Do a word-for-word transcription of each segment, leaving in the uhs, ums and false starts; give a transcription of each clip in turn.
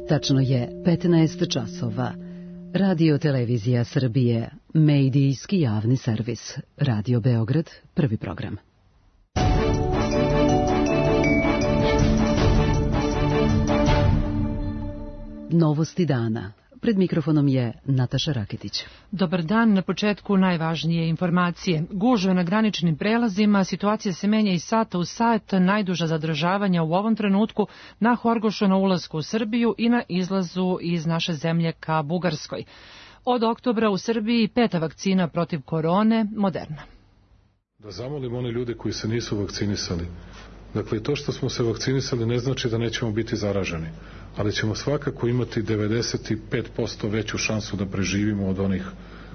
Tačno je petnaest časova. Radio Televizija Srbije, medijski javni servis. Radio Beograd, prvi program. Novosti dana. Pred mikrofonom je Nataša Raketić. Dobar dan, na početku najvažnije informacije. Gužve na graničnim prelazima, situacija se menja iz sata u sat, najduža zadržavanja u ovom trenutku na Horgošu na ulasku u Srbiju i na izlazu iz naše zemlje ka Bugarskoj. Od oktobra u Srbiji peta vakcina protiv korone, Moderna. Da zamolim one ljude koji se nisu vakcinisali. Dakle, to što smo se vakcinisali ne znači da nećemo biti zaraženi, ali ćemo svakako imati devedeset pet posto veću šansu da preživimo od onih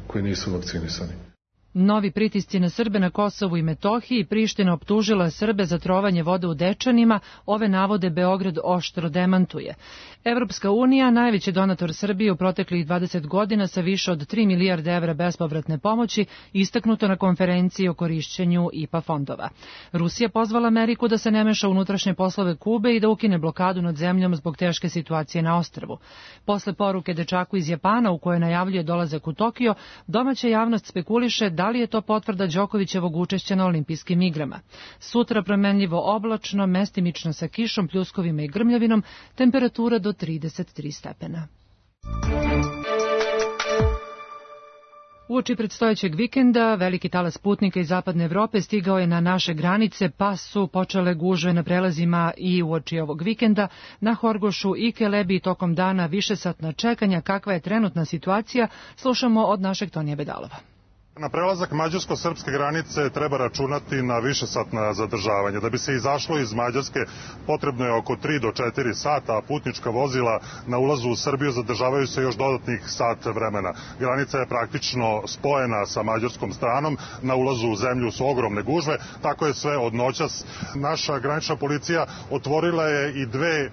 koji nisu vakcinisani. Novi pritisci na Srbe na Kosovu i Metohiji. Priština optužila Srbe za trovanje vode u Dečanima. Ove navode Beograd oštro demantuje. Evropska unija, najveći donator Srbije u proteklih dvadeset godina sa više od tri milijarde evra bespovratne pomoći, istaknuto na konferenciji o korišćenju I P A fondova. Rusija pozvala Ameriku da se ne meša u unutrašnje poslove Kube i da ukine blokadu nad zemljom zbog teške situacije na ostrvu. Posle poruke dečaku iz Japana u kojoj najavljuje dolazak u Tokio, domaća javnost spekuliše da li je to potvrda Đokovićevog učešća na olimpijskim igrama. Sutra promenljivo oblačno, mestimično sa kišom, pljuskovima i grmljavinom, temperatura do trideset tri stepena. Uoči predstojećeg vikenda, veliki talas putnika iz zapadne Evrope stigao je na naše granice, pa su počele gužve na prelazima i uoči ovog vikenda. Na Horgošu i Kelebiji tokom dana višesatna čekanja. Kakva je trenutna situacija, slušamo od našeg Tonija Bedalova. Na prelazak mađarsko-srpske granice treba računati na višesatna zadržavanja. Da bi se izašlo iz Mađarske potrebno je oko tri do četiri sata, a putnička vozila na ulazu u Srbiju zadržavaju se još dodatnih sat vremena. Granica je praktično spojena sa mađarskom stranom, na ulazu u zemlju su ogromne gužve, tako je sve od noćas. Naša granična policija otvorila je i dve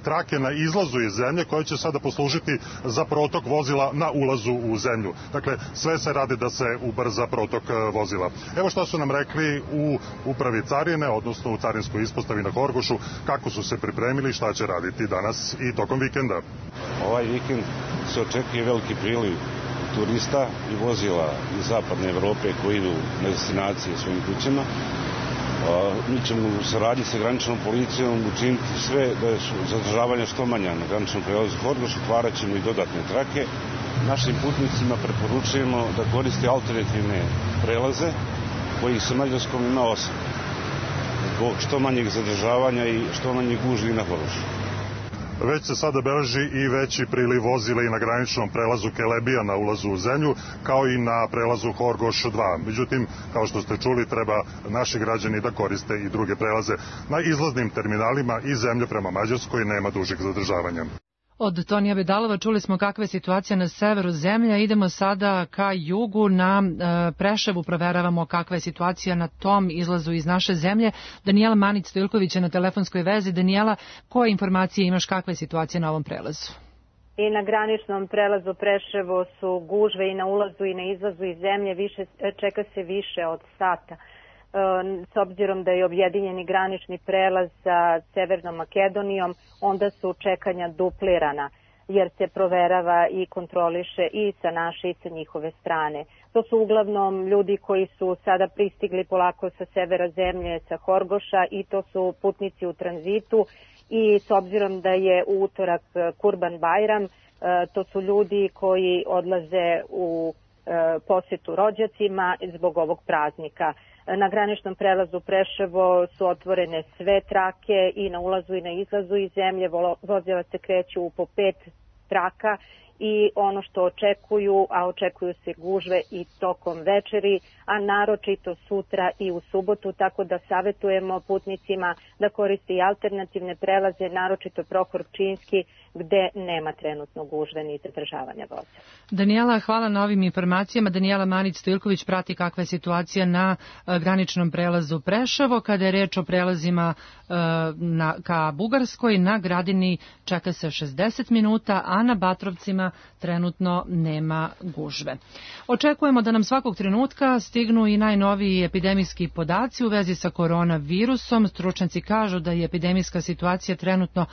trake na izlazu iz zemlje koje će sada poslužiti za protok vozila na ulazu u zemlju. Dakle, sve se radi da se ubrza protok vozila. Evo što su nam rekli u upravi carine, odnosno u carinskoj ispostavi na Horgošu, kako su se pripremili, šta će raditi danas i tokom vikenda. Ovaj vikend se očekuje veliki priliv turista i vozila iz zapadne Evrope koji idu na destinacije svojim kućama. Mi ćemo u saradnji sa graničnom policijom učiniti sve da su zadržavanja što manja na graničnom prelazu Horgoš, otvarat ćemo i dodatne trake. Našim putnicima preporučujemo da koriste alternativne prelaze, kojih sa Mađarskom ima osam. Zbog što manjeg zadržavanja i što manje gužvi na Horgošu. Već se sada beleži i veći priliv vozila i na graničnom prelazu Kelebija na ulazu u zemlju, kao i na prelazu Horgoš dva. Međutim, kao što ste čuli, treba naši građani da koriste i druge prelaze. Na izlaznim terminalima iz zemlje prema Mađarskoj nema dužeg zadržavanja. Od Tonija Bedalova čuli smo kakva je situacija na severu zemlje. Idemo sada ka jugu, na e, Preševu, proveravamo kakva je situacija na tom izlazu iz naše zemlje. Danijela Manić-Stojilković je na telefonskoj vezi. Danijela, koje informacije imaš, kakva je situacija na ovom prelazu? I na graničnom prelazu Preševo su gužve i na ulazu i na izlazu iz zemlje, više, čeka se više od sata. S obzirom da je objedinjeni granični prelaz sa Severnom Makedonijom, onda su čekanja duplirana, jer se proverava i kontroliše i sa naše i sa njihove strane. To su uglavnom ljudi koji su sada pristigli polako sa severa zemlje, sa Horgoša, i to su putnici u tranzitu, i s obzirom da je u utorak Kurban Bajram, to su ljudi koji odlaze u posjetu rođacima zbog ovog praznika. Na graničnom prelazu Preševo su otvorene sve trake i na ulazu i na izlazu iz zemlje. Vozila se kreću u po pet traka i ono što očekuju, a očekuju se gužve i tokom večeri, a naročito sutra i u subotu, tako da savjetujemo putnicima da koriste i alternativne prelaze, naročito Prohor Pčinjski, gde nema trenutno gužve ni zadržavanja voza. Danijela, hvala na ovim informacijama. Danijela Manić-Stojilković prati kakva je situacija na graničnom prelazu Preševo. Kada je reč o prelazima na, ka Bugarskoj, na Gradini čeka se šezdeset minuta, a na Batrovcima trenutno nema gužve. Očekujemo da nam svakog trenutka stignu i najnoviji epidemijski podaci u vezi sa koronavirusom. Stručnjaci kažu da je epidemijska situacija trenutno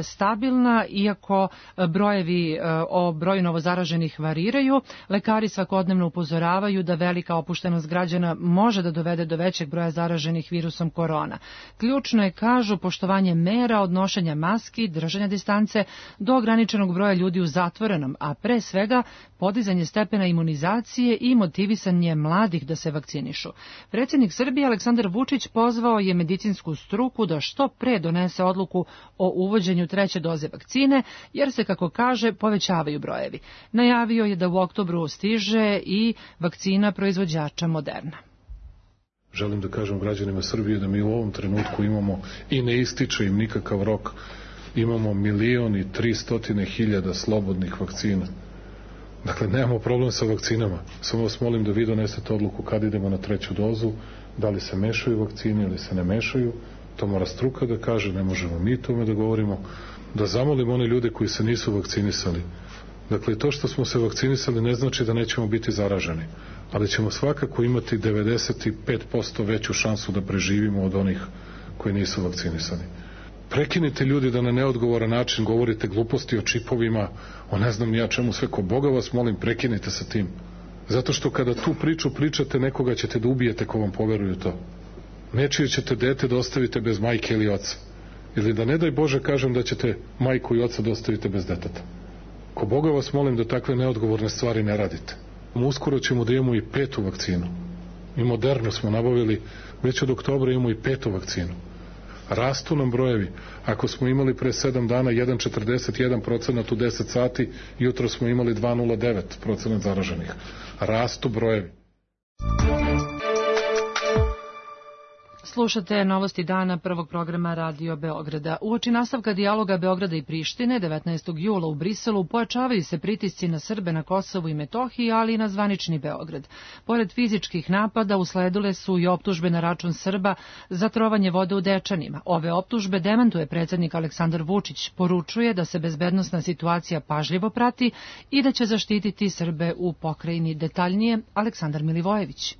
stabilna, iako brojevi o broju novozaraženih variraju. Lekari svakodnevno upozoravaju da velika opuštenost građana može da dovede do većeg broja zaraženih virusom korona. Ključno je, kažu, poštovanje mera od nošenja maski, držanja distance do ograničenog broja ljudi u zatvorenom, a pre svega podizanje stepena imunizacije i motivisanje mladih da se vakcinišu. Predsjednik Srbije Aleksandar Vučić pozvao je medicinsku struku da što pre donese odluku o uvođenju treće doze vakcine, jer se, kako kaže, povećavaju brojevi. Najavio je da u oktobru stiže i vakcina proizvođača Moderna. Želim da kažem građanima Srbije da mi u ovom trenutku imamo, i ne ističe im nikakav rok, imamo milion i tristotine hiljada slobodnih vakcina. Dakle, nemamo problem sa vakcinama. Samo vas molim da vi donesete odluku kad idemo na treću dozu, da li se mešaju vakcine ili se ne mešaju. To mora struka da kaže, ne možemo mi tome da govorimo. Da zamolim one ljude koji se nisu vakcinisali. Dakle, to što smo se vakcinisali ne znači da nećemo biti zaraženi, ali ćemo svakako imati devedeset pet posto veću šansu da preživimo od onih koji nisu vakcinisani. Prekinite ljudi da na neodgovoran način govorite gluposti o čipovima, o ne znam ja čemu sve, ko Boga vas molim, prekinite sa tim. Zato što kada tu priču pričate, nekoga ćete da ubijete ko vam poveruju to. Nečije ćete dete da ostavite bez majke ili oca. Ili da ne daj Bože kažem da ćete majku i oca da ostavite bez deteta. Ko Boga vas molim da takve neodgovorne stvari ne radite. Uskoro ćemo da imamo i petu vakcinu. I Modernu smo nabavili, već od oktobra imamo i petu vakcinu. Rastu nam brojevi. Ako smo imali pre sedam dana jedan zarez četrdeset jedan procenat u deset sati, jutro smo imali dva zarez nula devet procenat zaraženih. Rastu brojevi. Slušate novosti dana prvog programa Radio Beograda. Uoči nastavka dijaloga Beograda i Prištine devetnaestog jula u Briselu pojačavaju se pritisci na Srbe na Kosovu i Metohiji, ali i na zvanični Beograd. Pored fizičkih napada usledile su i optužbe na račun Srba za trovanje vode u Dečanima. Ove optužbe demantuje predsjednik Aleksandar Vučić. Poručuje da se bezbednosna situacija pažljivo prati i da će zaštititi Srbe u pokrajini. Detaljnije Aleksandar Milivojević.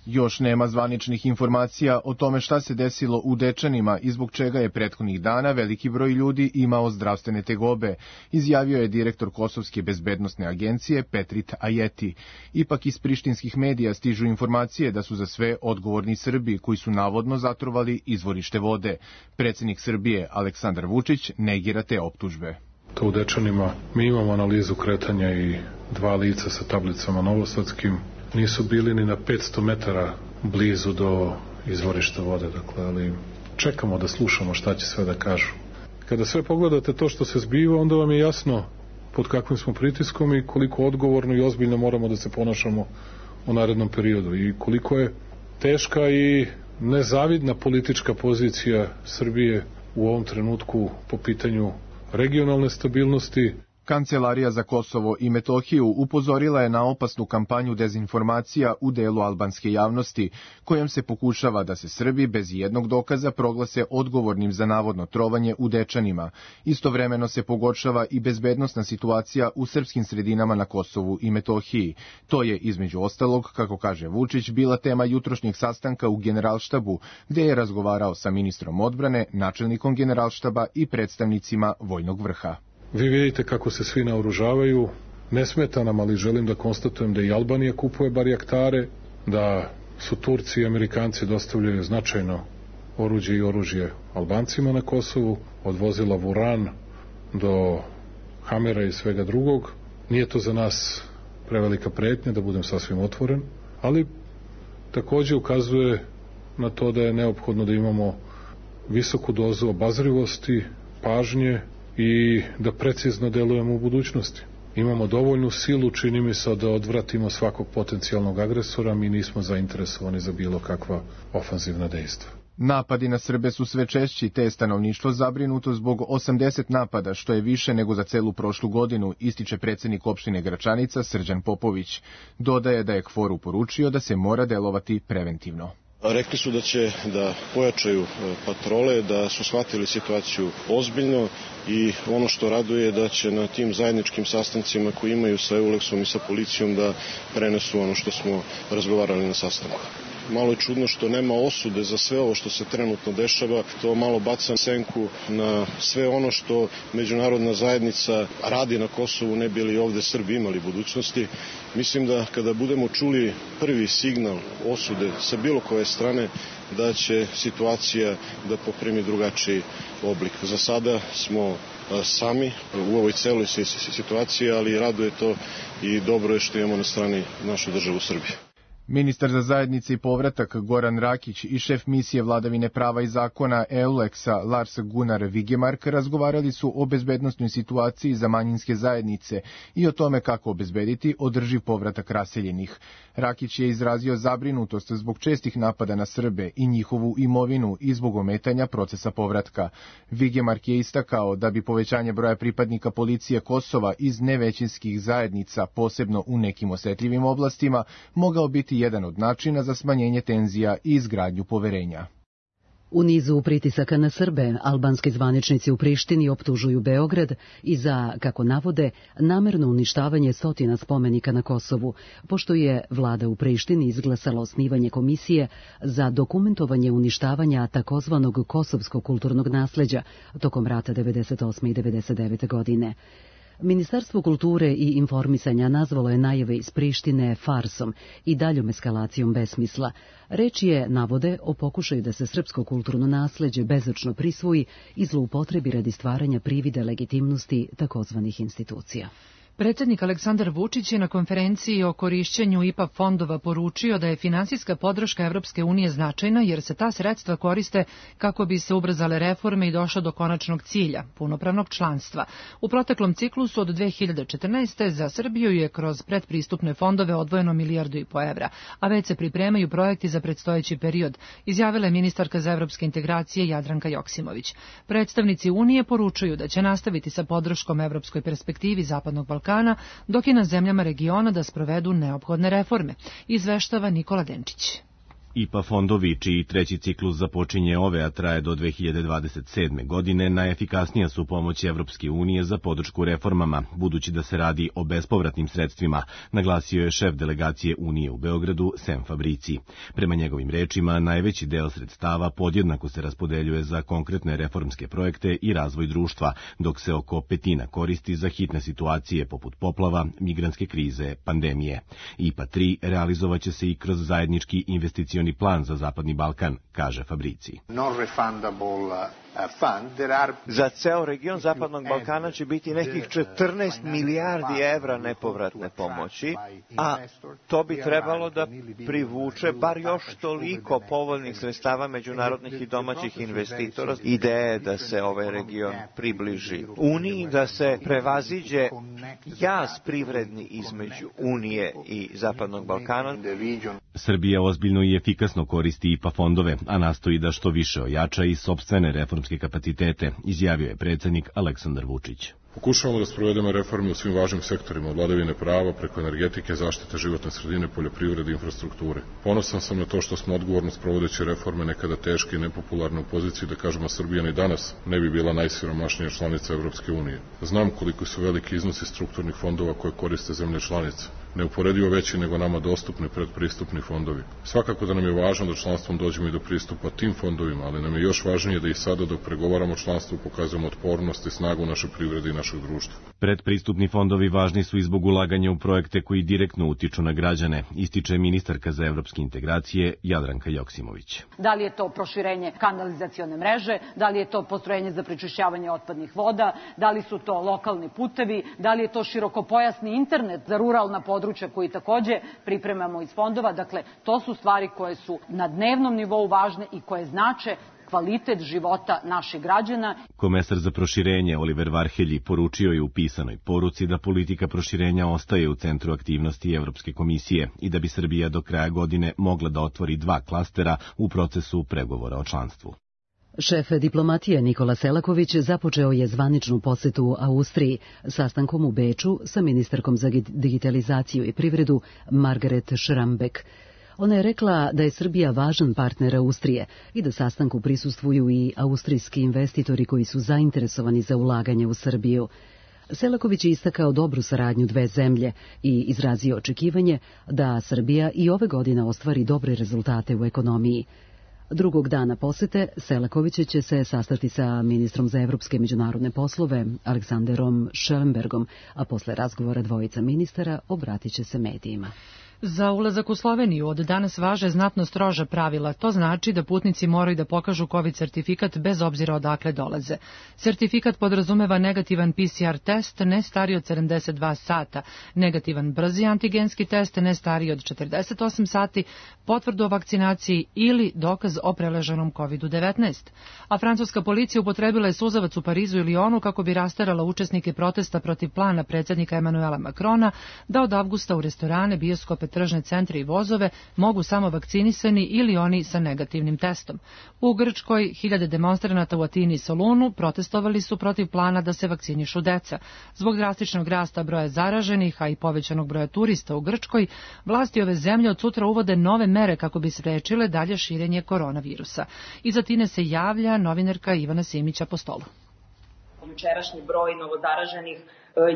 Još nema zvaničnih informacija o tome šta se desilo u Dečanima i zbog čega je prethodnih dana veliki broj ljudi imao zdravstvene tegobe, izjavio je direktor Kosovske bezbednosne agencije Petrit Ajeti. Ipak iz prištinskih medija stižu informacije da su za sve odgovorni Srbi koji su navodno zatrovali izvorište vode. Predsjednik Srbije Aleksandar Vučić negira te optužbe. To u Dečanima mi imamo analizu kretanja i dva lica sa tablicama novosadskim. Nisu bili ni na petsto metara blizu do izvorišta vode, dakle, ali čekamo da slušamo šta će sve da kažu. Kada sve pogledate to što se zbiva, onda vam je jasno pod kakvim smo pritiskom i koliko odgovorno i ozbiljno moramo da se ponašamo u narednom periodu i koliko je teška i nezavidna politička pozicija Srbije u ovom trenutku po pitanju regionalne stabilnosti. Kancelarija za Kosovo i Metohiju upozorila je na opasnu kampanju dezinformacija u delu albanske javnosti, kojom se pokušava da se Srbi bez jednog dokaza proglase odgovornim za navodno trovanje u Dečanima. Istovremeno se pogoršava i bezbednosna situacija u srpskim sredinama na Kosovu i Metohiji. To je, između ostalog, kako kaže Vučić, bila tema jutrošnjeg sastanka u Generalštabu, gde je razgovarao sa ministrom odbrane, načelnikom Generalštaba i predstavnicima vojnog vrha. Vi vidite kako se svi naoružavaju, ne smeta nam, ali želim da konstatujem da i Albanija kupuje barjaktare, da su Turci i Amerikanci dostavljaju značajno oruđe i oružje Albancima na Kosovu, od vozila Vuran do Hamera i svega drugog. Nije to za nas prevelika pretnja, da budem sasvim otvoren, ali takođe ukazuje na to da je neophodno da imamo visoku dozu obazrivosti, pažnje, i da precizno delujemo u budućnosti. Imamo dovoljnu silu, čini mi se, da odvratimo svakog potencijalnog agresora, mi nismo zainteresovani za bilo kakva ofanzivna dejstva. Napadi na Srbe su sve češći, te je stanovništvo zabrinuto zbog osamdeset napada, što je više nego za celu prošlu godinu, ističe predsjednik opštine Gračanica Srđan Popović. Dodaje da je K F O R-u poručio da se mora delovati preventivno. Rekli su da će da pojačaju patrole, da su shvatili situaciju ozbiljno i ono što raduje je da će na tim zajedničkim sastancima koji imaju sa Euleksom i sa policijom da prenesu ono što smo razgovarali na sastanku. Malo je čudno što nema osude za sve ovo što se trenutno dešava, to malo baca senku na sve ono što međunarodna zajednica radi na Kosovu, ne bi li ovde Srbi imali budućnosti. Mislim da kada budemo čuli prvi signal osude sa bilo koje strane, da će situacija da poprimi drugačiji oblik. Za sada smo sami u ovoj celoj situaciji, ali raduje to i dobro je što imamo na strani našu državu Srbiju. Ministar za zajednice i povratak Goran Rakić i šef misije vladavine prava i zakona Euleksa Lars Gunnar Vigemark razgovarali su o bezbednosnoj situaciji za manjinske zajednice i o tome kako obezbediti održiv povratak raseljenih. Rakić je izrazio zabrinutost zbog čestih napada na Srbe i njihovu imovinu i zbog ometanja procesa povratka. Vigemark je istakao da bi povećanje broja pripadnika policije Kosova iz nevećinskih zajednica, posebno u nekim osetljivim oblastima, mogao biti jedan od načina za smanjenje tenzija i izgradnju poverenja. U nizu pritisaka na Srbe, albanski zvaničnici u Prištini optužuju Beograd i za, kako navode, namerno uništavanje stotina spomenika na Kosovu, pošto je vlada u Prištini izglasala osnivanje komisije za dokumentovanje uništavanja takozvanog kosovskog kulturnog nasleđa tokom rata devedeset osme i devedeset devete godine. Ministarstvo kulture i informisanja nazvalo je najave iz Prištine farsom i daljom eskalacijom besmisla. Reč je, navode, o pokušaju da se srpsko kulturno nasleđe bezočno prisvoji i zloupotrebi radi stvaranja privida legitimnosti takozvanih institucija. Predsjednik Aleksandar Vučić je na konferenciji o korišćenju I P A fondova poručio da je finansijska podrška Evropske unije značajna jer se ta sredstva koriste kako bi se ubrzale reforme i došlo do konačnog cilja, punopravnog članstva. U proteklom ciklusu od dve hiljade četrnaeste. za Srbiju je kroz predpristupne fondove odvojeno milijardu i po evra, a već se pripremaju projekti za predstojeći period, izjavila je ministarka za evropske integracije Jadranka Joksimović. Predstavnici Unije poručuju da će nastaviti sa podrškom evropskoj perspektivi Zapadnog Balkana, dok je na zemljama regiona da sprovedu neophodne reforme, izveštava Nikola Denčić. I P A fondovi, čiji treći ciklus započinje ove, a traje do dve hiljade dvadeset sedme. godine, najefikasnija su pomoć Evropske unije za podršku reformama, budući da se radi o bespovratnim sredstvima, naglasio je šef delegacije Unije u Beogradu, Sem Fabrici. Prema njegovim rečima, najveći deo sredstava podjednako se raspodeljuje za konkretne reformske projekte i razvoj društva, dok se oko petina koristi za hitne situacije poput poplava, migrantske krize, pandemije. I P A tri realizovaće se i kroz zajednički investicioni plan za Zapadni Balkan, kaže Fabrici. Za ceo region Zapadnog Balkana će biti nekih četrnaest milijardi evra nepovratne pomoći, a to bi trebalo da privuče bar još toliko povoljnih sredstava međunarodnih i domaćih investitora. Ideja je da se ovaj region približi Uniji, da se prevaziđe jaz privredni između Unije i Zapadnog Balkana. Srbija ozbiljno i efikasno koristi I P A fondove, a nastoji da što više ojača i sopstvene reformske kapacitete, izjavio je predsjednik Aleksandar Vučić. Pokušavamo da sprovedemo reforme u svim važnim sektorima, od vladavine prava, preko energetike, zaštite životne sredine, poljoprivrede i infrastrukture. Ponosan sam na to što smo odgovorno sprovodeći reforme nekada teške i nepopularne u poziciji da kažemo Srbija ni danas ne bi bila najsiromašnija članica Evropske unije. Znam koliko su veliki iznosi strukturnih fondova koje koriste zemlje članice, neuporedivo veći nego nama dostupni predpristupni fondovi. Svakako da nam je važno da članstvom dođemo i do pristupa tim fondovima, ali nam je još važnije da i sada dok pregovaramo članstvu pokazujemo otpornost i snagu naše privrede i našeg društva. Predpristupni fondovi važni su i zbog ulaganja u projekte koji direktno utiču na građane, ističe ministarka za evropske integracije Jadranka Joksimović. Da li je to proširenje kanalizacione mreže, da li je to postrojenje za prečišćavanje otpadnih voda, da li su to lokalni putevi, da li je to širokopojasni internet za ruralna područja koji takođe pripremamo iz fondova. Dakle, to su stvari koje su na dnevnom nivou važne i koje znače kvalitet života naših građana. Komesar za proširenje Oliver Varhelji poručio je u pisanoj poruci da politika proširenja ostaje u centru aktivnosti Evropske komisije i da bi Srbija do kraja godine mogla da otvori dva klastera u procesu pregovora o članstvu. Šef diplomatije Nikola Selaković započeo je zvaničnu posetu u Austriji sastankom u Beču sa ministarkom za digitalizaciju i privredu Margaret Schrambeck. Ona je rekla da je Srbija važan partner Austrije i da sastanku prisustvuju i austrijski investitori koji su zainteresovani za ulaganje u Srbiju. Selaković je istakao dobru saradnju dve zemlje i izrazio očekivanje da Srbija i ove godine ostvari dobre rezultate u ekonomiji. Drugog dana posete Selaković će se sastati sa ministrom za evropske međunarodne poslove Aleksanderom Schellenbergom, a posle razgovora dvojica ministara obratit će se medijima. Za ulazak u Sloveniju od danas važe znatno stroža pravila. To znači da putnici moraju da pokažu COVID sertifikat bez obzira odakle dolaze. Sertifikat podrazumeva negativan P C R test ne stariji od sedamdeset dva sata, negativan brzi antigenski test ne stariji od četrdeset osam sati, potvrdu o vakcinaciji ili dokaz o preleženom kovid devetnaest. A francuska policija upotrebila je suzavac u Parizu i Lionu kako bi rasterala učesnike protesta protiv plana predsjednika Emanuela Macrona da od avgusta u restorane, bioskope, tržne centre i vozove mogu samo vakcinisani ili oni sa negativnim testom. U Grčkoj hiljade demonstranata u Atini i Solunu protestovali su protiv plana da se vakcinišu deca. Zbog drastičnog rasta broja zaraženih, a i povećanog broja turista u Grčkoj, vlasti ove zemlje od sutra uvode nove mere kako bi sprečile dalje širenje koronavirusa. Iz Atine se javlja novinarka Ivana Simić Apostolu. Jučerašnji broj novozaraženih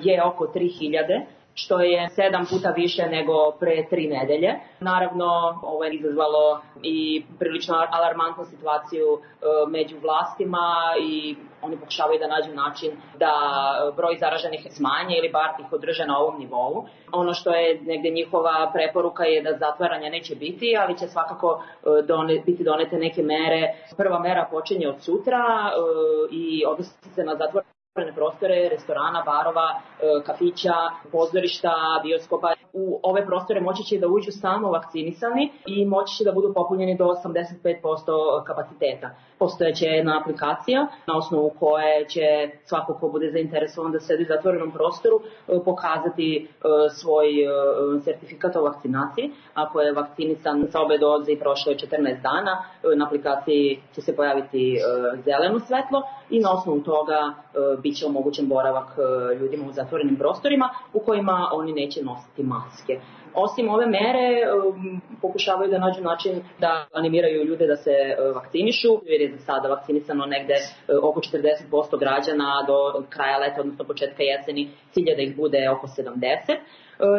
je oko tri hiljade, što je sedam puta više nego pre tri nedelje. Naravno, ovo je izazvalo i prilično alarmantnu situaciju među vlastima i oni pokušavaju da nađu način da broj zaraženih smanje ili bar ih održe na ovom nivou. Ono što je negde njihova preporuka je da zatvaranja neće biti, ali će svakako done, biti donete neke mere. Prva mera počinje od sutra i odnosi se na zatvaranje prostore, restorana, barova, kafića, pozorišta, bioskopa. U ove prostore moći će da uđu samo vakcinisani i moći će da budu popunjeni do osamdeset pet posto kapaciteta. Postojeće jedna aplikacija na osnovu koje će svako ko bude zainteresovan da sedi u zatvorenom prostoru pokazati svoj sertifikat o vakcinaciji. Ako je vakcinisan sa obe doze i prošlo je četrnaest dana, na aplikaciji će se pojaviti zeleno svetlo i na osnovu toga bit će omogućen boravak ljudima u zatvorenim prostorima u kojima oni neće nositi maske. Osim ove mere, pokušavaju da nađu način da animiraju ljude da se vakcinišu, jer je za sada vakcinisano negde oko četrdeset posto građana do kraja leta, odnosno početka jeseni, cilj je da ih bude oko sedamdeset.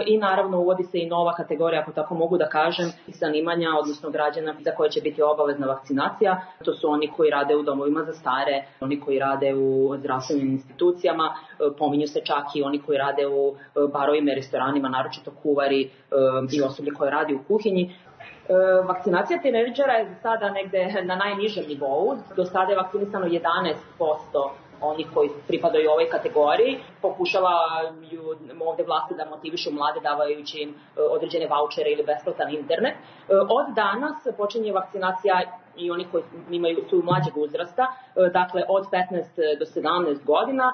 I naravno uvodi se i nova kategorija, ako tako mogu da kažem, zanimanja, odnosno građana za koje će biti obavezna vakcinacija. To su oni koji rade u domovima za stare, oni koji rade u zdravstvenim institucijama, pominju se čak i oni koji rade u barovima i restoranima, naročito kuvari i osoblje koje radi u kuhinji. Vakcinacija tinejdžera je za sada negde na najnižem nivou. Do sada je vakcinisano jedanaest posto oni koji pripadaju ovoj kategoriji. Pokušavaju ovde vlasti da motivišu mlade davajući im određene vaučere ili besplatan internet. Od danas počinje vakcinacija i oni koji imaju, su mlađeg uzrasta, dakle od petnaest do sedamnaest godina.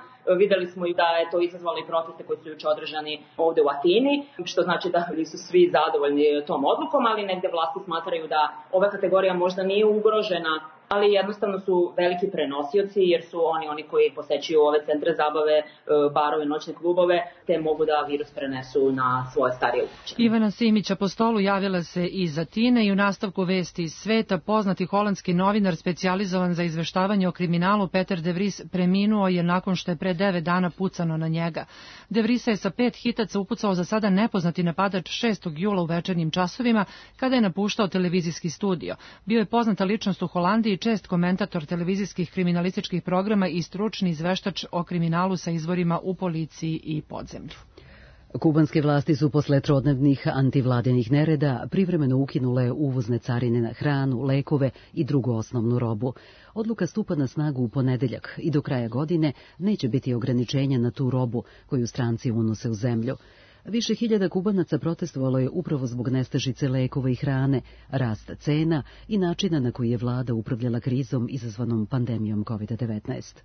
Videli smo i da je to izazvalo i proteste koji su juče održani ovde u Atini, što znači da nisu svi zadovoljni tom odlukom, ali negde vlasti smatraju da ova kategorija možda nije ugrožena, ali jednostavno su veliki prenosioci jer su oni oni koji posećuju ove centre zabave, barove, noćne klubove, te mogu da virus prenesu na svoje starije ukućane. Ivana Simić Apostolu javila se iz Atine i u nastavku vesti iz sveta poznati holandski novinar specijalizovan za izveštavanje o kriminalu Peter de Vries preminuo je nakon što je pre devet dana pucano na njega. De Vriesa je sa pet hitaca upucao za sada nepoznati napadač šestog jula u večernjim časovima kada je napuštao televizijski studio. Bio je poznata ličnost u Holandiji, čest komentator televizijskih kriminalističkih programa i stručni izveštač o kriminalu sa izvorima u policiji i podzemlju. Kubanske vlasti su posle trodnevnih antivladinih nereda privremeno ukinule uvozne carine na hranu, lekove i drugu osnovnu robu. Odluka stupa na snagu u ponedeljak i do kraja godine neće biti ograničenja na tu robu koju stranci unose u zemlju. Više hiljada Kubanaca protestovalo je upravo zbog nestašice lekova i hrane, rasta cena i načina na koji je vlada upravljala krizom izazvanom pandemijom kovid devetnaest.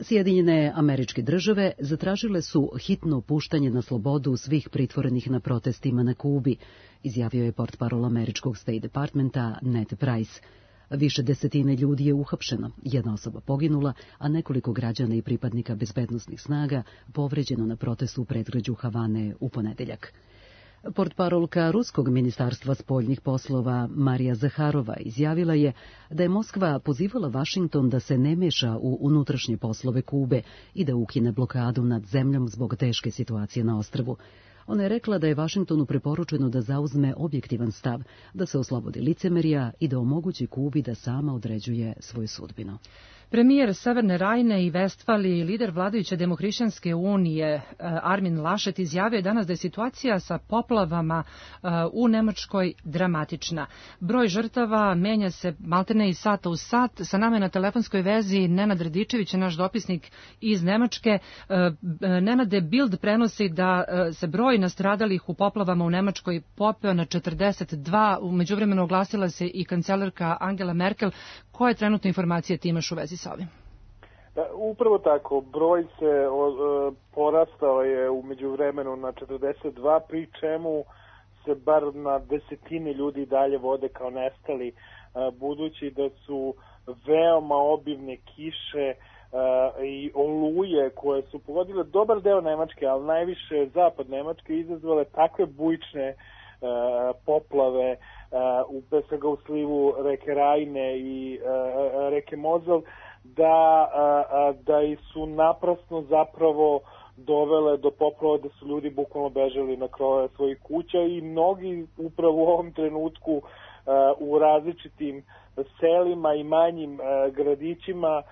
Sjedinjene Američke Države zatražile su hitno puštanje na slobodu svih pritvorenih na protestima na Kubi, izjavio je portparol američkog State Departmenta Ned Price. Više desetine ljudi je uhapšeno, jedna osoba poginula, a nekoliko građana i pripadnika bezbednosnih snaga povređeno na protestu u predgrađu Havane u ponedeljak. Portparolka Ruskog ministarstva spoljnih poslova Marija Zaharova izjavila je da je Moskva pozivala Vašington da se ne meša u unutrašnje poslove Kube i da ukine blokadu nad zemljom zbog teške situacije na ostrvu. Ona je rekla da je Vašingtonu preporučeno da zauzme objektivan stav, da se oslobodi licemerja i da omogući Kubi da sama određuje svoju sudbinu. Premijer Severne Rajne i Vestfalije i lider vladajuće Demohrišćanske unije Armin Laschet izjavio je danas da je situacija sa poplavama u Nemačkoj dramatična. Broj žrtava menja se maltene iz sata u sat. Sa nama je na telefonskoj vezi Nenad Radičević, naš dopisnik iz Nemačke. Nenade, Bild prenosi da se broj nastradalih u poplavama u Nemačkoj popeo na četrdeset dva. U međuvremenu oglasila se i kancelarka Angela Merkel. Koje trenutne informacije ti imaš u vezi sa ovim? Upravo tako, broj se o, porastao je u međuvremenu na četrdeset dva, pri čemu se bar na desetine ljudi dalje vode kao nestali, budući da su veoma obimne kiše i oluje koje su pogodile dobar deo Nemačke, ali najviše zapad Nemačke, izazvale takve bujične poplave u pre svega u slivu reke Rajne i reke Mozel, da, da su naprasno zapravo dovele do poplava, da su ljudi bukvalno bežali na krove svojih kuća i mnogi upravo u ovom trenutku u različitim selima i manjim gradićima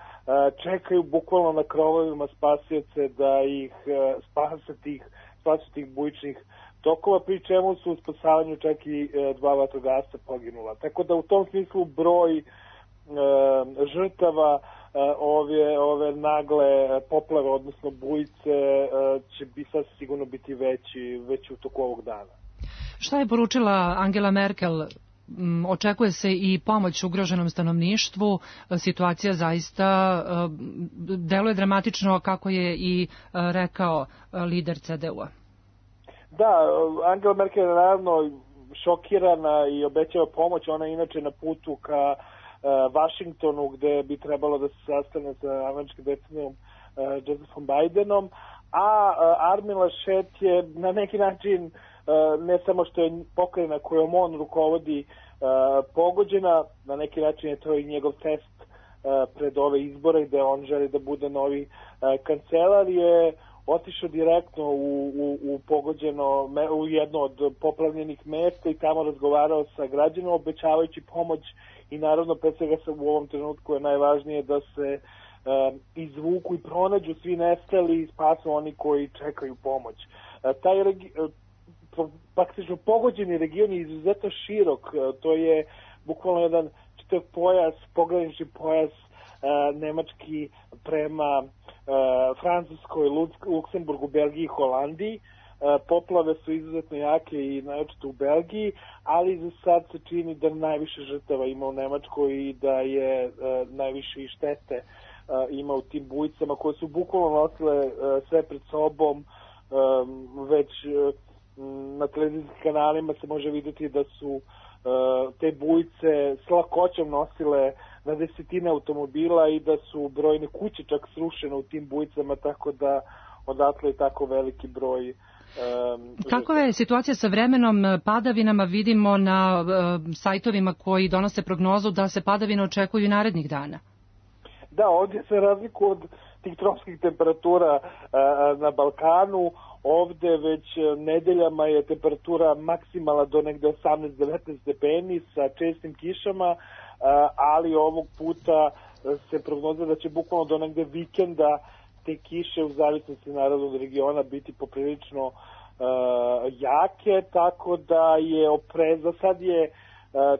čekaju bukvalno na krovovima spasioce da ih spase tih, spase tih bujičnih tokova, pri čemu su u spasavanju čak i dva vatrogasca poginula. Tako da u tom smislu broj e, žrtava e, ove, ove nagle poplave, odnosno bujice, e, će bi sad sigurno biti veći, veći u toku ovog dana. Šta je poručila Angela Merkel? Očekuje se i pomoć ugroženom stanovništvu. Situacija zaista deluje dramatično, kako je i rekao lider C D U-a. Da, Angela Merkel je naravno šokirana i obećava pomoć. Ona je inače na putu ka uh, Vašingtonu, gde bi trebalo da se sastane sa američkim predsjednikom uh, Josephom Bidenom, a uh, Armin Laschet je na neki način uh, ne samo što je pokrajina kojom on rukovodi uh, pogođena, na neki način je to i njegov test uh, pred ove izbore gde on želi da bude novi uh, kancelar, je otišao direktno u, u, u pogođeno, u jedno od poplavljenih mesta i tamo razgovarao sa građanima, obećavajući pomoć i naravno pre svega u ovom trenutku je najvažnije da se um, izvuku i pronađu svi nestali i spasu oni koji čekaju pomoć. Uh, taj regi, uh, praktično pogođeni region je izuzetno širok, uh, to je bukvalno jedan čitav pojas, pogranični pojas uh, nemački prema Uh, Francuskoj, Luksemburgu, Belgiji i Holandiji. Uh, poplave su izuzetno jake i najočito u Belgiji, ali za sad se čini da najviše žrtava ima u Nemačkoj i da je uh, najviše i štete uh, ima u tim bujicama koje su bukvalno nosile uh, sve pred sobom. Um, već uh, na televizijskim kanalima se može vidjeti da su uh, te bujice s lakoćom nosile na desetine automobila i da su brojne kuće čak srušene u tim bujicama, tako da odatle je tako veliki broj. Um, Kakva je situacija sa vremenom, padavinama? Vidimo na uh, sajtovima koji donose prognozu da se padavine očekuju i narednih dana. Da, ovdje se razliku od tih tropskih temperatura uh, na Balkanu, ovde već nedeljama je temperatura maksimala do negde osamnaest do devetnaest stepeni sa čestim kišama, ali ovog puta se prognozira da će bukvalno do negde vikenda te kiše u zavisnosti naravno od regiona biti poprilično uh, jake, tako da je opreza. Sad je uh,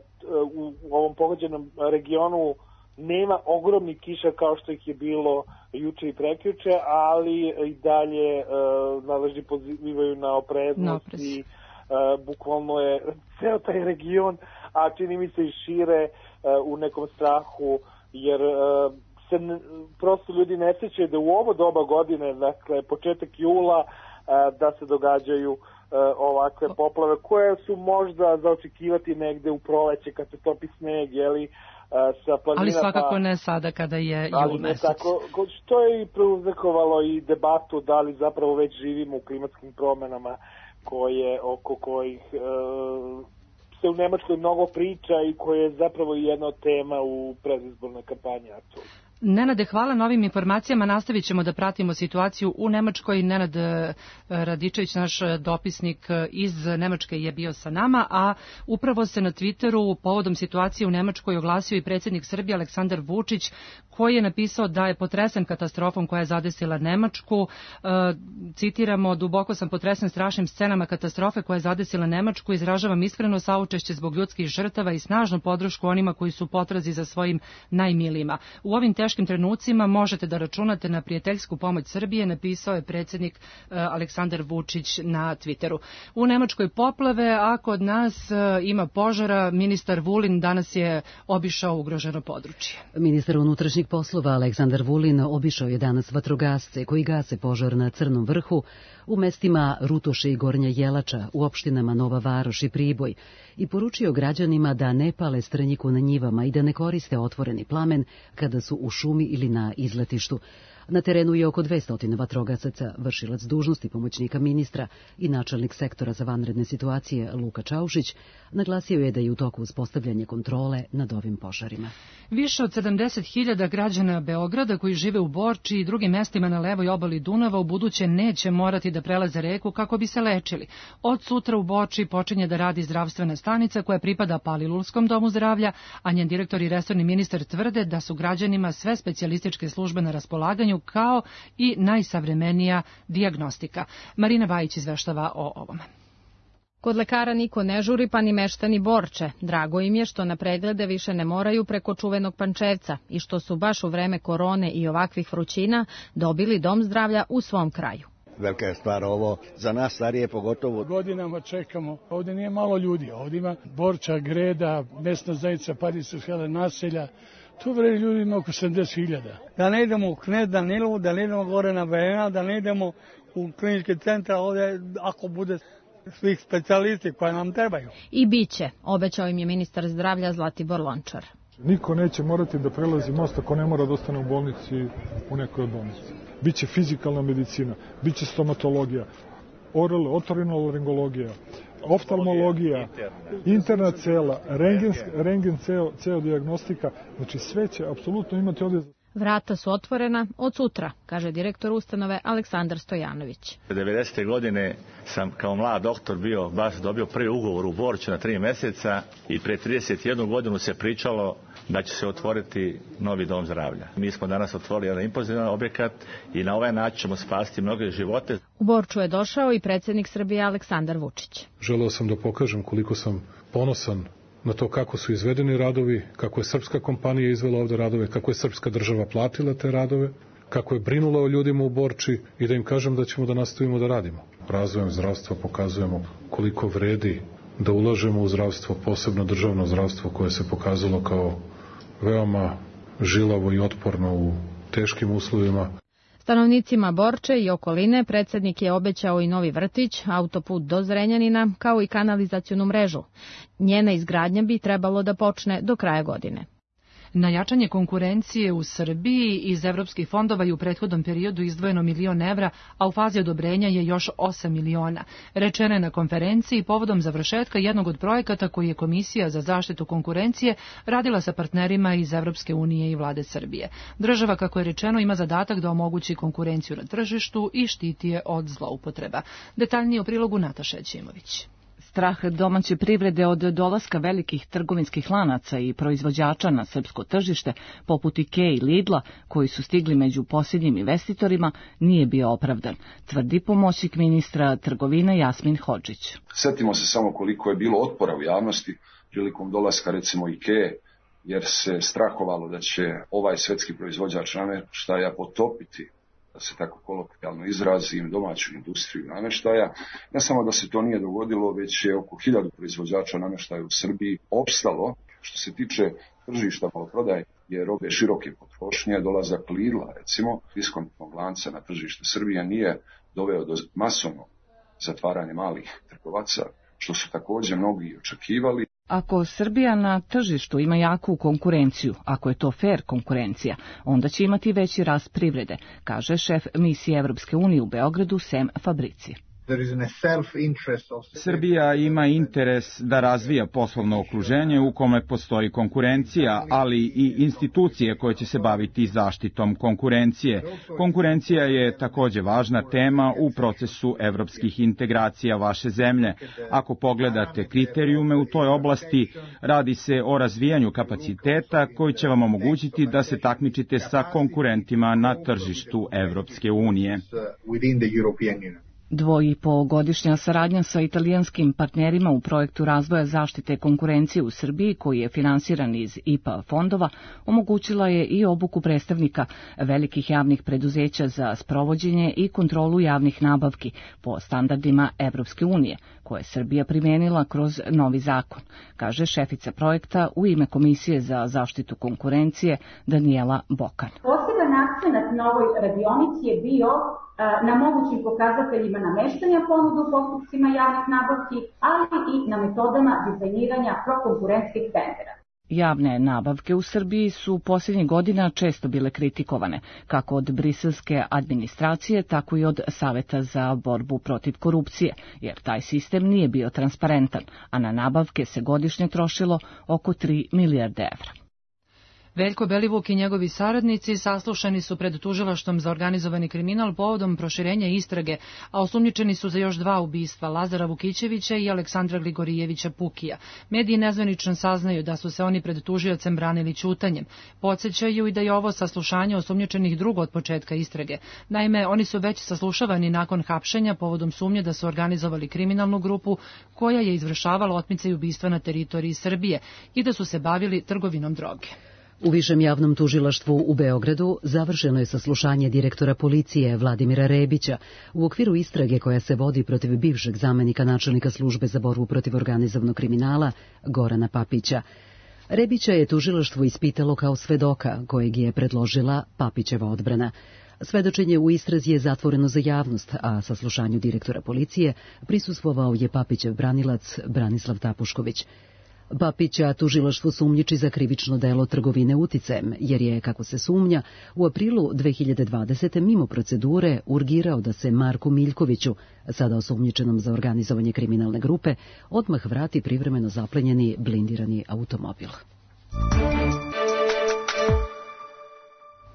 u, u ovom pogođenom regionu nema ogromnih kiša kao što ih je bilo juče i prekjuče, ali i dalje uh, nadležni pozivaju na opreznost no, i uh, bukvalno je ceo taj region, a čini mi se i šire uh, u nekom strahu, jer uh, se ne, prosto ljudi ne sjećaju da u ovo doba godine, dakle početak jula, uh, da se događaju uh, ovakve poplave koje su možda za očekivati negde u proleće kad se topi sneg, jeli, sa planina, ali svakako ne sada kada je jul mesec. Tako, što je i prouzrokovalo i debatu da li zapravo već živimo u klimatskim promjenama koje, oko kojih e, se u Nemačkoj mnogo priča i koje je zapravo jedna od tema u predizbornoj kampanji aktualno. Nenade, hvala na ovim informacijama. Nastavit ćemo da pratimo situaciju u Nemačkoj. Nenad Radičević, naš dopisnik iz Nemačke, je bio sa nama, a upravo se na Twitteru povodom situacije u Nemačkoj oglasio i predsjednik Srbije Aleksandar Vučić, koji je napisao da je potresen katastrofom koja je zadesila Nemačku. E, citiramo, duboko sam potresen strašnim scenama katastrofe koja je zadesila Nemačku, izražavam iskreno saučešće zbog ljudskih žrtava i snažnu podršku onima koji su u potrazi za svojim najmilijima. U ovim teškim trenucima možete da računate na prijateljsku pomoć Srbije, napisao je predsjednik e, Aleksandar Vučić na Twitteru. U Nemačkoj poplave, a kod nas e, ima požara. Ministar Vulin danas je obišao ugroženo područje. Ministar unutrašnjih poslova Aleksandar Vulin obišao je danas vatrogasce koji gase požar na Crnom vrhu u mestima Rutoše i Gornja Jelača, u opštinama Nova Varoš i Priboj, i poručio građanima da ne pale strnjiku na njivama i da ne koriste otvoreni plamen kada su u šumi ili na izletištu. Na terenu je oko dvesta vatrogasaca, vršilac dužnosti pomoćnika ministra i načelnik sektora za vanredne situacije Luka Čaušić naglasio je da je u toku uspostavljanje kontrole nad ovim požarima. Više od sedamdeset hiljada građana Beograda koji žive u Borči i drugim mestima na levoj obali Dunava u buduće neće morati da prelaze reku kako bi se lečili. Od sutra u Borči počinje da radi zdravstvena stanica koja pripada Palilulskom domu zdravlja, a njen direktor i resorni ministar tvrde da su građanima sve specijalističke službe na raspolaganju kao i najsavremenija dijagnostika. Marina Vajić izveštava o ovome. Kod lekara niko ne žuri, pa ni meštani Borče. Drago im je što na preglede više ne moraju preko čuvenog Pančevca i što su baš u vreme korone i ovakvih vrućina dobili dom zdravlja u svom kraju. Velika je stvar ovo, za nas starije pogotovo. Godinama čekamo, ovdje nije malo ljudi, ovdje ima Borča, Greda, mesna zajednica Parisovskih naselja, tu vredi ljudi ima oko sedamdeset hiljada. Da ne idemo u Knez Danilovu, da ne idemo gore na Vena, da ne idemo u klinički centar ovdje ako bude svih specijalisti koje nam trebaju. I bit će, obećao im je ministar zdravlja Zlatibor Lončar. Niko neće morati da prelazi most ako ne mora da ostane u bolnici u nekoj od bolnici. Biće fizikalna medicina, biće stomatologija, oral, otorinolaringologija, oftalmologija, interna cela, rengen, rengen ceo, ceo dijagnostika, znači sve će apsolutno imati ovdje. Vrata su otvorena od sutra, kaže direktor ustanove Aleksandar Stojanović. devedesete godine sam kao mlad doktor bio, baš dobio prvi ugovor u Borču na tri mjeseca i pre trideset jednu godinu se pričalo da će se otvoriti novi dom zdravlja. Mi smo danas otvorili jedan impozivan objekat i na ovaj način ćemo spasiti mnoge živote. U Borču je došao i predsjednik Srbije Aleksandar Vučić. Želeo sam da pokažem koliko sam ponosan na to kako su izvedeni radovi, kako je srpska kompanija izvela ovde radove, kako je srpska država platila te radove, kako je brinula o ljudima u Borči i da im kažem da ćemo da nastavimo da radimo. Razvojem zdravstva pokazujemo koliko vredi da ulažemo u zdravstvo, posebno državno zdravstvo koje se pokazalo kao veoma žilavo i otporno u teškim uslovima. Stanovnicima Borče i okoline predsjednik je obećao i novi vrtić, autoput do Zrenjanina, kao i kanalizacionu mrežu. Njena izgradnja bi trebalo da počne do kraja godine. Na jačanje konkurencije u Srbiji iz evropskih fondova je u prethodnom periodu izdvojeno milion evra, a u fazi odobrenja je još osam miliona. Rečeno je na konferenciji povodom završetka jednog od projekata koji je Komisija za zaštitu konkurencije radila sa partnerima iz Evropske unije i vlade Srbije. Država, kako je rečeno, ima zadatak da omogući konkurenciju na tržištu i štiti je od zloupotreba. Detaljnije u prilogu Nataša Ćimović. Strah domaće privrede od dolaska velikih trgovinskih lanaca i proizvođača na srpsko tržište, poput Ikea i Lidla, koji su stigli među posljednjim investitorima, nije bio opravdan, tvrdi pomoćnik ministra trgovine Jasmin Hodžić. Sjetimo se samo koliko je bilo otpora u javnosti prilikom dolaska recimo Ikea, jer se strahovalo da će ovaj svetski proizvođač namještaja potopiti, da se tako kolokvijalno izrazim, domaću industriju namještaja. Ne samo da se to nije dogodilo, već je oko hiljadu proizvođača namještaja u Srbiji opstalo. Što se tiče tržišta maloprodaje je robe široke potrošnje, dolazak Lidla, recimo, diskontnog lanca na tržište Srbije nije doveo do masovnog zatvaranja malih trgovaca, što su također mnogi očekivali. Ako Srbija na tržištu ima jaku konkurenciju, ako je to fair konkurencija, onda će imati veći rast privrede, kaže šef misije Evropske unije u Beogradu Sem Fabrici. Srbija ima interes da razvija poslovno okruženje u kome postoji konkurencija, ali i institucije koje će se baviti zaštitom konkurencije. Konkurencija je takođe važna tema u procesu evropskih integracija vaše zemlje. Ako pogledate kriterijume u toj oblasti, radi se o razvijanju kapaciteta koji će vam omogućiti da se takmičite sa konkurentima na tržištu Evropske unije. Dvo i po godišnja saradnja sa italijanskim partnerima u projektu razvoja zaštite konkurencije u Srbiji, koji je finansiran iz I P A fondova, omogućila je i obuku predstavnika velikih javnih preduzeća za sprovođenje i kontrolu javnih nabavki po standardima Evropske unije, koje je Srbija primenila kroz novi zakon, kaže šefica projekta u ime Komisije za zaštitu konkurencije Danijela Bokan. Poseban akcenat na ovoj radionici je bio na mogućim pokazateljima nameštanja ponuda u postupcima javnih nabavki, ali i na metodama dizajniranja prokonkurentskih tendera. Javne nabavke u Srbiji su posljednjih godina često bile kritikovane, kako od briselske administracije, tako i od Saveta za borbu protiv korupcije, jer taj sistem nije bio transparentan, a na nabavke se godišnje trošilo oko tri milijarde evra. Veljko Belivuk i njegovi saradnici saslušani su pred tužilaštvom za organizovani kriminal povodom proširenja istrage, a osumnjičeni su za još dva ubistva, Lazara Vukićevića i Aleksandra Gligorijevića Pukija. Mediji nezvanično saznaju da su se oni pred tužiocem branili ćutanjem. Podsećaju i da je ovo saslušanje osumnjičenih drugo od početka istrage. Naime, oni su već saslušavani nakon hapšenja povodom sumnje da su organizovali kriminalnu grupu koja je izvršavala otmice i ubistva na teritoriji Srbije i da su se bavili trgovinom droge. U Višem javnom tužilaštvu u Beogradu završeno je saslušanje direktora policije Vladimira Rebića u okviru istrage koja se vodi protiv bivšeg zamenika načelnika službe za borbu protiv organizovanog kriminala Gorana Papića. Rebića je tužilaštvo ispitalo kao svedoka kojeg je predložila Papićeva odbrana. Svedočenje u istrazi je zatvoreno za javnost, a saslušanju direktora policije prisustvovao je Papićev branilac Branislav Tapušković. Papića tužilaštvo sumnjiči za krivično delo trgovine uticajem, jer je, kako se sumnja, u aprilu dve hiljade dvadesete mimo procedure urgirao da se Marku Miljkoviću, sada osumnjičenom za organizovanje kriminalne grupe, odmah vrati privremeno zaplenjeni blindirani automobil.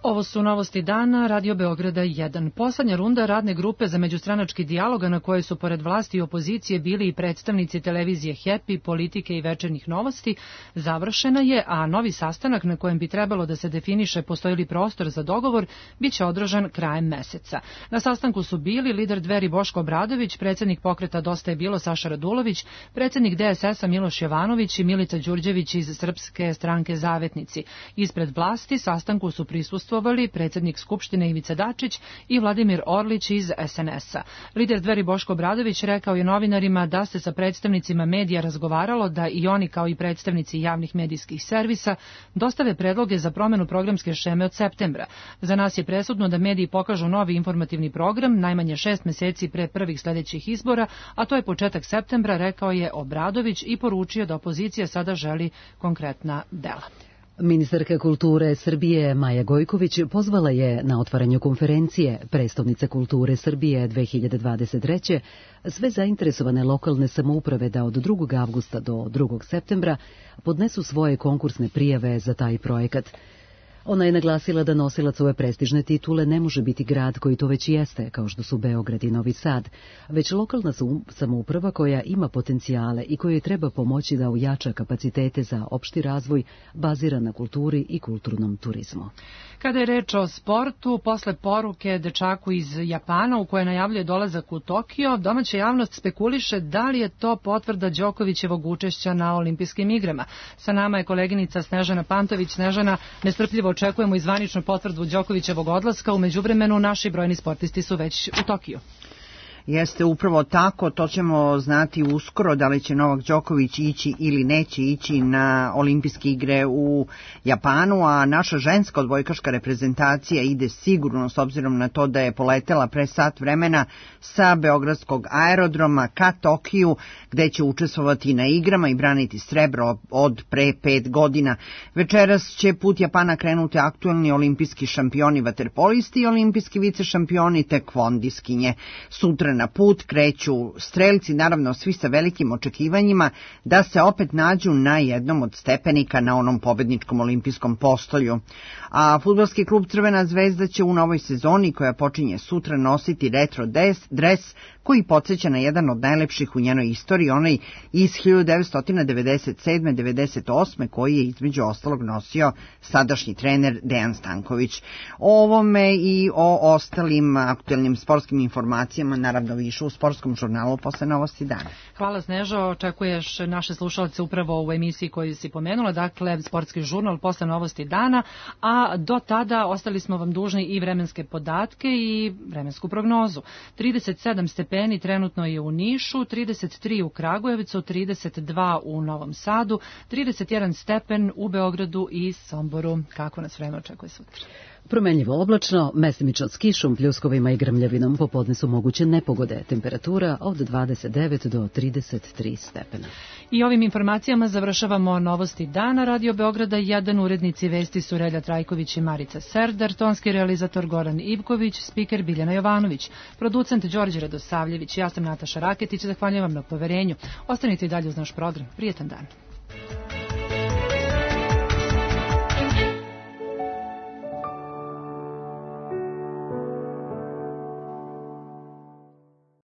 Ovo su novosti dana, Radio Beograda jedan. Poslednja runda radne grupe za međustranački dijalog, na kojoj su pored vlasti i opozicije bili i predstavnici televizije Happy, Politike i Večernjih novosti, završena je, a novi sastanak na kojem bi trebalo da se definiše postoji li prostor za dogovor, biće održan krajem meseca. Na sastanku su bili lider Dveri Boško Obradović, predsednik pokreta Dosta je bilo Saša Radulović, predsednik D S S-a Miloš Jovanović i Milica Đurđević iz Srpske stranke Zavetnici. Ispred vlasti sastanku su prisustvovali predsednik Skupštine Ivica Dačić i Vladimir Orlić iz S N S-a. Lider Dveri Boško Obradović rekao je novinarima da se sa predstavnicima medija razgovaralo da i oni kao i predstavnici javnih medijskih servisa dostave predloge za promenu programske šeme od septembra. Za nas je presudno da mediji pokažu novi informativni program najmanje šest meseci pre prvih sledećih izbora, a to je početak septembra, rekao je Obradović i poručio da opozicija sada želi konkretna dela. Ministarka kulture Srbije Maja Gojković pozvala je na otvaranju konferencije Prestolnica kulture Srbije dve hiljade dvadeset treće sve zainteresovane lokalne samouprave da od drugog avgusta do drugog septembra podnesu svoje konkursne prijave za taj projekat. Ona je naglasila da nosilac ove prestižne titule ne može biti grad koji to već jeste, kao što su Beograd i Novi Sad, već lokalna samouprava koja ima potencijale i kojoj treba pomoći da ojača kapacitete za opšti razvoj baziran na kulturi i kulturnom turizmu. Kada je reč o sportu, posle poruke dečaku iz Japana u koje najavljuje dolazak u Tokio, domaća javnost spekuliše da li je to potvrda Đokovićevog učešća na olimpijskim igrama. Sa nama je koleginica Snežana Pantović. Snežana, nestrpljivo očekujemo i zvaničnu potvrdu Đokovićevog odlaska. U međuvremenu naši brojni sportisti su već u Tokiju. Jeste upravo tako, to ćemo znati uskoro da li će Novak Đoković ići ili neće ići na olimpijske igre u Japanu, a naša ženska odbojkaška reprezentacija ide sigurno s obzirom na to da je poletela pre sat vremena sa beogradskog aerodroma ka Tokiju, gde će učestvovati na igrama i braniti srebro od pre pet godina. Večeras će put Japana krenuti aktuelni olimpijski šampioni vaterpolisti i olimpijski vice šampioni tekvondiskinje. Sutra sutra na put kreću strelci, naravno svi sa velikim očekivanjima da se opet nađu na jednom od stepenika na onom pobedničkom olimpijskom postolju. A fudbalski klub Crvena zvezda će u novoj sezoni, koja počinje sutra, nositi retro dres koji podsjeća na jedan od najlepših u njenoj istoriji, onaj iz hiljadu devetsto devedeset sedme devedeset osme koji je između ostalog nosio sadašnji trener Dejan Stanković. O ovome i o ostalim aktuelnim sportskim informacijama naravno više u sportskom žurnalu posle Novosti dana. Hvala Snežo, očekuješ naše slušalce upravo u emisiji koju si pomenula, dakle sportski žurnal posle Novosti dana, a do tada ostali smo vam dužni i vremenske podatke i vremensku prognozu. trideset sedam stepeni trenutno je u Nišu, trideset tri u Kragujevcu, trideset dva u Novom Sadu, trideset jedan stepen u Beogradu i Somboru. Kako nas vreme očekuje sutra? Promenljivo oblačno, mestimično s kišom, pljuskovima i grmljavinom, popodne su moguće nepogode, temperatura od dvadeset devet do trideset tri stepena. I ovim informacijama završavamo Novosti dana Radio Beograda. Jedan urednici vesti su Relja Trajković i Marica Serdar, tonski realizator Goran Ivković, spiker Biljana Jovanović, producent Đorđe Radosavljević. Ja sam Nataša Raketić, zahvaljujem vam na poverenju. Ostanite i dalje uz naš program. Prijetan dan.